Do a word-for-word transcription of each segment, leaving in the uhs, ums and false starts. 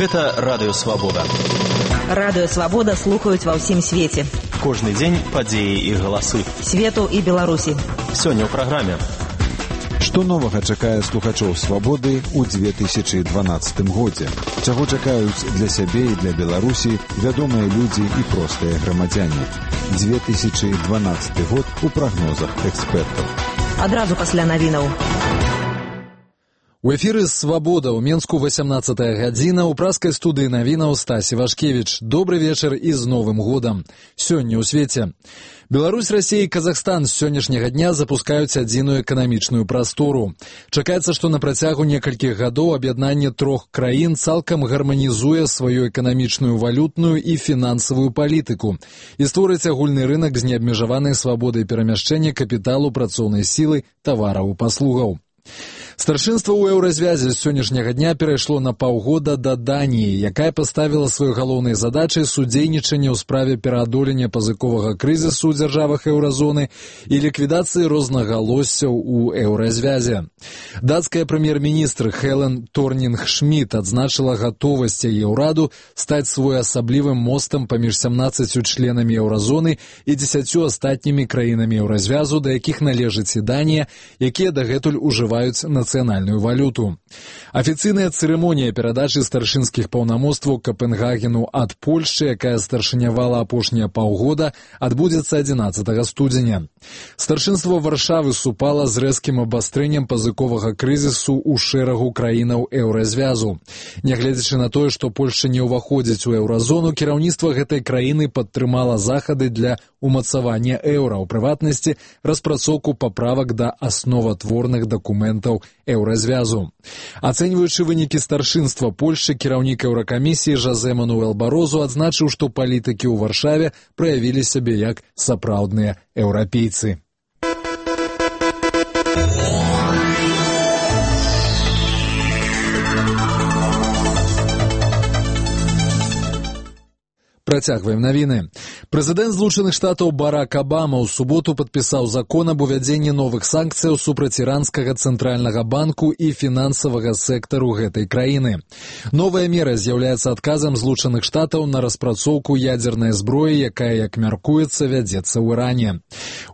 Гэта Радыё Свабода. Радыё Свабода слухаюць ва ўсім свеце. Кожны дзень падзеі і галасы. Свету і Беларусі. Сёння ў праграме. Што новага чакае слухачоў Свабоды ў две тысячы дванаццатым годзе? Чаго чакаюць для сябе і для Беларусі вядомыя людзі і простыя грамадзяне? две тысячы дванаццаты год у прагнозах экспертаў. Адразу пасля навінаў. У эфіры «Свабода» ў Менску васямнаццатая гадзіна, у праскай студыі навінаў Стасі Вашкевіч. Добры вечар і з Новым годам. Сёння ў свеце. Беларусь, Расія і Казахстан з сённяшняга дня запускаюць адзіную эканамічную прастору. Чакаецца, што на працягу некалькіх гадоў аб'яднанне трох краін цалкам гарманізуе сваю эканамічную, валютную і фінансавую палітыку і створыць агульны рынак з неабмежаванай свабодай перамяшчэння капіталу, працоўнай сілы, тавараў і паслугаў. Старшынства ў еўразвязе з сённяшняга дня перайшло на паўгода да Даніі, якая паставіла сваёй галоўнай задачай судзейнічанне ў справе пераадолення пазыковага крызісу ў дзяржавах еўразоны і ліквідацыі рознагалоссяў у еўразвязе. Дацкая прэм'ер-міністр Хелен Торнінг-Шміт адзначыла гатовасць яе ўраду стаць своеасаблівым мостам паміж сямнаццаццю членамі еўразоны і дзесяццю астатнімі краінамі еўразвязу, да якіх належыць і Данія, якія дагэтуль ужываюць нацыянальную валюту. Афіцыйная цырымонія перадачы старшынскіх паўнамоцтваў Капенгагену ад Польшчы, якая старшынявала апошнія паўгода, адбудзецца адзінаццатага студзеня. Старшынства Варшавы супала з рэзкім абастрэннем пазыковага крызісу ў шэрагу краінаў еўразвязу. Нягледзячы на тое, што Польшча не ўваходзіць у еўразону, кіраўніцтва гэтай краіны падтрымала захады для умацавання еўра, у прыватнасці распрацоўку паправак да асноватворных дакументаў еўразвязу. Ацэньваючы вынікі старшынства Польшчы, кіраўнік еўракамісіі Жозе Мануэл Барозу адзначыў, што палітыкі ў Варшаве праявілі сябе як сапраўдныя еўрапейцы. Працягваем навіны. Прэзідэнт Злучаных Штатаў Барак Абама ў суботу падпісаў закон аб увядзенні новых санкцыяў супраць іранскага цэнтральнага банку і фінансавага сектару гэтай краіны. Новая мера з'яўляецца адказам Злучаных Штатаў на распрацоўку ядзернай зброі, якая, як мяркуецца, вядзецца ў Іране.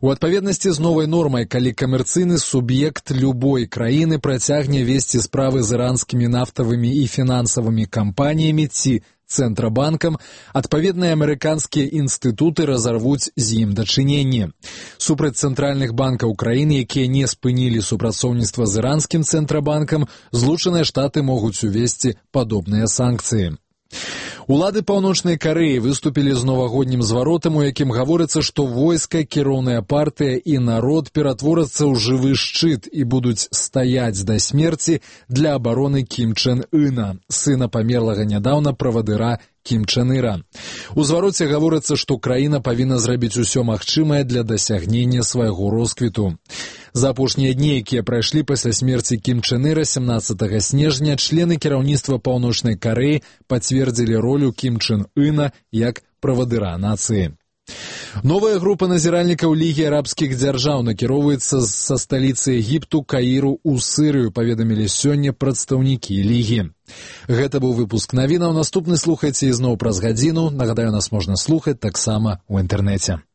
У адпаведнасці з новай нормай, калі камерцыйны суб'ект любой краіны працягне весці справы з іранскімі нафтавымі і фінансавымі кампаніямі ці Цэнтрабанкам, адпаведныя амерыканскія інстытуты разарвуць з ім дачыненні. Супраць цэнтральных банкаў краіны, якія не спынілі супрацоўніцтва з іранскім Цэнтрабанкам, Злучаныя Штаты могуць увесці падобныя санкцыі. Улады Паўночнай Карэі выступілі з новагоднім зваротам, у якім гаворыцца, што войска, кіроўная партыя і народ ператворацца ў жывы шчыт і будуць стаяць да смерці для абароны Кім Чен Ына, сына памерлага нядаўна правадыра Кім Чен Іра. У звароце гаворыцца, што краіна павінна зрабіць усё магчымае для дасягнення свайго росквіту. За апошнія дні, якія прайшлі пасля смерці Кім Чен Іра сямнаццатага снежня, члены кіраўніцтва Паўночнай Карэі пацвердзілі ролю Кім Чен Ына як правадыра нацыі. Новая група назіральнікаў Лігі арабскіх дзяржаў накіроўваецца са сталіцы Егіпту Каіру ў Сырыю, паведамілі сёння прадстаўнікі Лігі. Гэта быў выпуск навінаў. Наступны слухайце ізноў праз гадзіну. Нагадаю, нас можна слухаць таксама ў інтэрнэце.